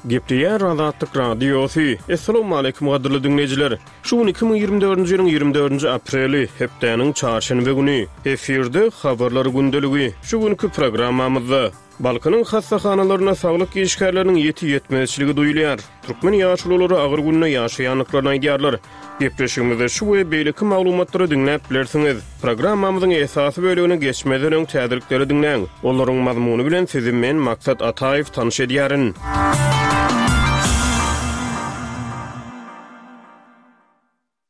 Gepleýär Azatlyk Radiosy. Assalamualaikum gadyrly diňleýjiler. Şu gün 2024-nji ýylyň 24-nji apreli, hepdäniň çarşenbe güni. Efirde habarlar gündeligi. Şu günki programmamyzda Balkanyň hassahanalarynda saglyk işgärleriniň ýiti ýetmezçiligi duýulýar. Türkmen ýaşululary agyr günde ýaşaýandyklaryny aýdýarlar. Gepleşigimizde şu we beýleki maglumatlary diňläp bilersiňiz. Programmamyzyň esasy bölegine geçmezden öň täzelikleri diňläň. Olaryň mazmuny bilen sizi men, Maksat Ataýew, tanyş edýärin.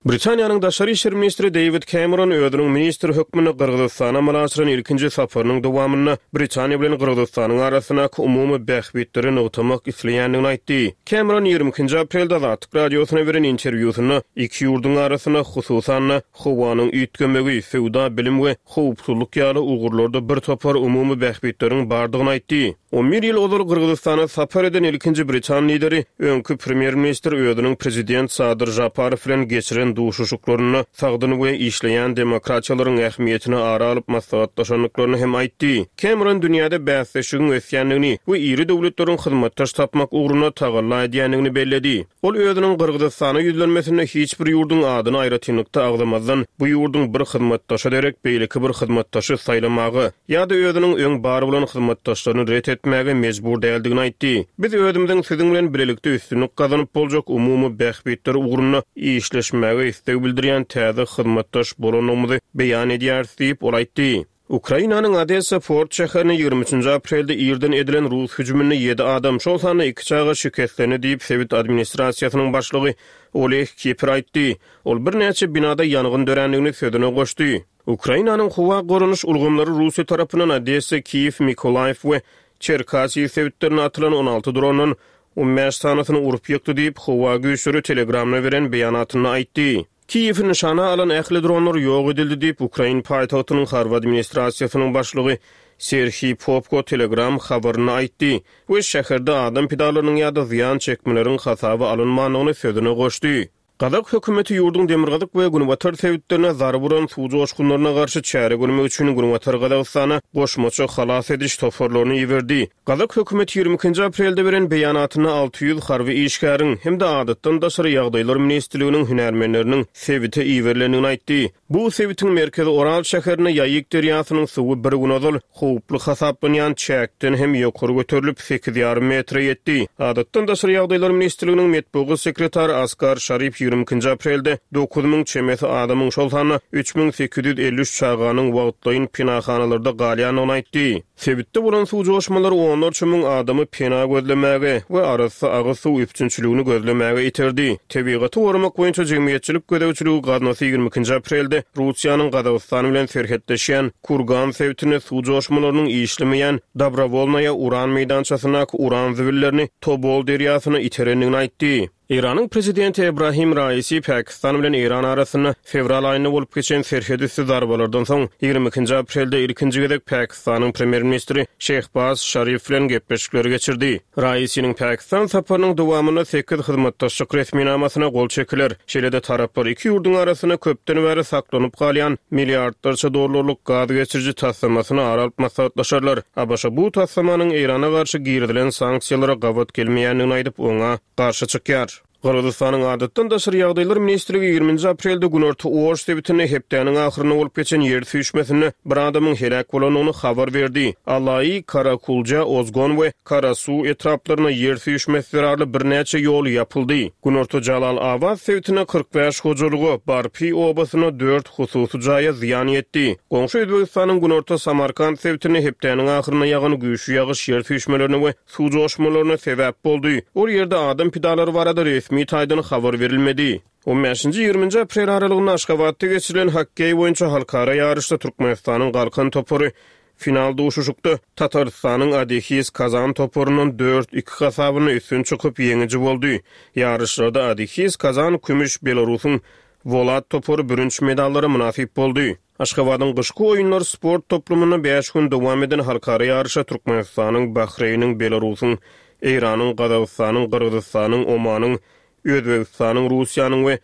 Britaniýanyň daşary işler ministri Deýwid Kemeron özüniň ministr hökmünde Gyrgyzystana amala aşyran ilkinji saparynyň dowamynda Britaniýa bilen Gyrgyzystanyň arasyndaky umumy bähbitleri nygtamak isleýändigini aýtdy. Kemeron 22-nji aprelde Azatlyk Radiosyna beren interwýusynda iki ýurduň arasynda, hususan-da, howanyň üýtgemegi, söwda, bilim we howpsuzlyk ýaly ugurlarda bir topar umumy bähbitleriň bardygyny aýtdy. On bir ýyl ozal Gyrgyzystana sapar eden ilkinji britan lideri, öňki premýer-ministr özüniň prezident Sadyr Žaparow bilen geçiren duşuşyklarynda sagdyn we işleýän demokratiýalaryň ähmiýetini ara alyp maslahatlaşandyklaryny hem aýtdy. Kemeron dünýäde bäsleşigiň ösýändigini we iri döwletleriň hyzmatdaş tapmak ugrunda tagalla edýändigini belledi. Ol özüniň Gyrgyzystana ýüzlenmesinde hiç bir ýurduň adyny aýratynlykda agzamazdan, bu ýurduň bir hyzmatdaşa derek beýleki bir hyzmatdaşy saýlamaga ýa-da özüniň öň bar bolan hyzmatdaşlaryny ret etmäge mejbur däldigini aýtdy. Biz özümiziň siziň bilen bilelikde üstünlik gazanyp boljak umumy bähbitler ugrunda işleşmäge isleg bildirýän täze hyzmatdaş bolandygymyzy beýan edýäris diýip, ol aýtdy. Ukrainanyň Odessa port şäherine 23-nji aprelde irden edilen rus hüjüminde ýedi adam, şol sanda iki çaga şikeslendi diýip, sebit administrasiýasynyň başlygy Oleh Kiper aýtdy. Ol birnäçe binada ýangyn dörändigini sözüne goşdy. Ukrainanyň howa goranyş ulgamlary Russiýa tarapyndan Odessa, Kiýew, Mykolaýiw we Çerkasiý sebitlerine atylan 16 drondan 15 sanysyny urup ýykdy diýip, howa güýçleri Telegramda beren beýanatynda aýtdy. Kiýewi nyşana alan ähli dronlar ýok edildi diýip, ukrain paýtagtynyň harby administrasiýasynyň başlygy Serhiý Popko Telegram habarynda aýtdy we şäherde adam pidalarynyň ýa-da zyýan çekmeleriň hasaba alynmandygyny sözüne goşdy. Gazak hökümeti ýurduň demirgazyk we günbatar sebitlerine zarba uran suw joşgunlaryna garşy çäre görmek üçin Günbatar Gazagystana goşmaça halas ediş toparlaryny iberdi. Gazak hökümeti 22-nji aprelde beren beýanatynda 600 harby işgäriň hem-de Adatdan daşary ýagdaýlar ministrliginiň hünärmenleriniň sebite iberilendigini aýtdy. Bu sebitiň merkezi Oral şäherinde Ýaýyk derýasynyň suwy bir gün ozal howply hasaplanýan çäkden hem ýokary göterilip, sekiz ýarym metre ýetdi. Adatdan daşary ýagdaýlar ministrliginiň metbugat sekretary Askar Şarip 22-nji aprelde 9000 çemesi adamyň, şol sanda 3853 çaganyň wagtlaýyn penahanalarda galýandygyny aýtdy. Sebitde bolan suw joşmalary onlarça müň adamy pena gözlemäge we arassa agyz suw üpjünçiligini gözlemäge iterdi. Tebigaty goramak boýunça jemgyýetçilik gözegçiligi gaznasy 22-nji aprelde Russiýanyň Gazagystan bilen serhetleşýän Kurgan sebitinde suw joşmalarynyň işlemeýän Dobrowolnaýa uran meýdançasyndaky uran zibillerini Tobol derýasyna iterendigini aýtdy. Eýranyň prezidenti Ebrahim Raisi Pakistan bilen Eýran arasynda fewral aýynda bolup geçen serhetüsti zarbalardan soň, 22-nji aprelde ilkinji gezek Pakistanyň premýer-ministri Şehbaz Şarif bilen gepleşikleri geçirdi. Raisiniň Pakistan saparynyň dowamynda sekiz hyzmatdaşlyk resminamasyna gol çekiler. Şeýle-de taraplar iki ýurduň arasynda köpden bäri saklanyp galýan milliardlarça dollarlyk gaz geçiriji taslamasyny ara alyp maslahatlaşarlar. ABŞ bu taslamanyň Eýrana garşy girizilen sanksiýalara gabat gelmeýändigini aýdyp, oňa garşy çykýar. Gyrgyzystanyň Adatdan daşary ýagdaýlar ministrligi 20-nji aprelde günorta Oş sebitinde hepdäniň ahyrynda bolup geçen ýer süýşmesinde bir adamyň heläk bolandygyny habar berdi. Alaý, Karakulja, Ozgon we Karasuw etraplarynda ýer süýşmesi zerarly birnäçe ýol ýapyldy. Günorta Jalal-Abat sebitinde 45 hojalyga, Barpi obasynda dört hususy jaýa zyýan ýetdi. Goňşy Özbegistanyň günorta Samarkant sebitinde hepdäniň ahyrynda ýagan güýçli ýagyş ýer süýşmelerine we suw joşmalaryna sebäp boldy. Ol ýerde adam pidalary barada resmi taýdan habar berilmedi. On bäşinji, ýigriminji aprel aralygynda Aşgabatda geçirilen hokkeý boýunça halkara ýaryşda Türkmenistanyň Galkan topary final duşuşykda Tatarystanyň Adihis Kazan toparyndan dört, iki hasabynda üstün çykyp, ýeňiji boldy. Ýaryşlarda Adihis Kazan kümüş, Belarusyň Wolat topary bürünç medallara mynasyp boldy. Aşgabadyň Gyşky oýunlar sport toplumynda bäş gün dowam eden halkara ýaryşa Türkmenistanyň, Bahreýniň, Belarusyň, Eýranyň, Gazagystanyň, Gyrgyzystanyň, Omanyň, Özbegistanyň, Russiýanyň we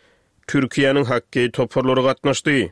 Türkiýäniň hokkeý toparlary gatnaşdy.